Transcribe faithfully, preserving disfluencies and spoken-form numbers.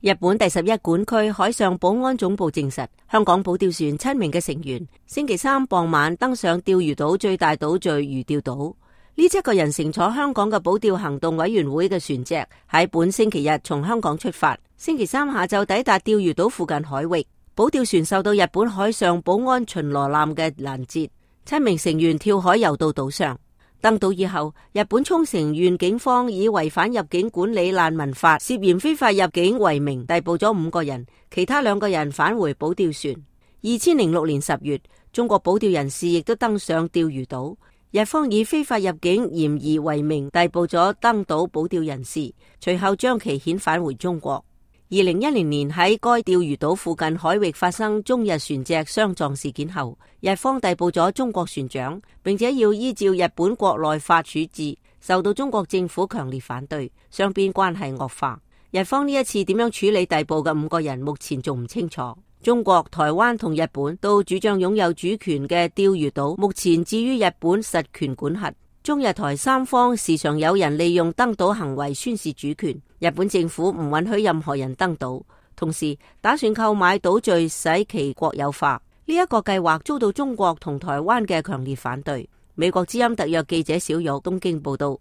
日本第十一管區海上保安總部證實，香港保釣船七名嘅成員星期三傍晚登上釣魚島最大島嶼魚釣島。呢七個人乘坐香港嘅保釣行動委員會嘅船隻，喺本星期日從香港出發，星期三下晝抵達釣魚島附近海域。保釣船受到日本海上保安巡邏艦嘅攔截，七名成員跳海游到島上。登島以後，日本沖繩縣警方以違反入境管理難民法涉嫌非法入境為名逮捕咗五個人，其他兩個人返回保釣船。二千零六年十月，中國保釣人士亦都登上釣魚島，日方以非法入境嫌疑為名逮捕咗登島保釣人士，隨後將其遣返回中國。二零一零年喺該釣魚島附近海域發生中日船隻相撞事件後，日方逮捕咗中國船長，並且要依照日本國內法處置，受到中國政府強烈反對，雙邊關係惡化。日方呢一次點樣處理逮捕嘅五個人，目前仲唔清楚。中國、台灣同日本都主張擁有主權嘅釣魚島，目前置於日本實權管轄。中日台三方時常有人利用登島行為宣示主權，日本政府唔允許任何人登島，同時打算購買島嶼使其國有化。呢、這、一個計劃遭到中國同台灣嘅強烈反對。美國之音特約記者小玉東京報道。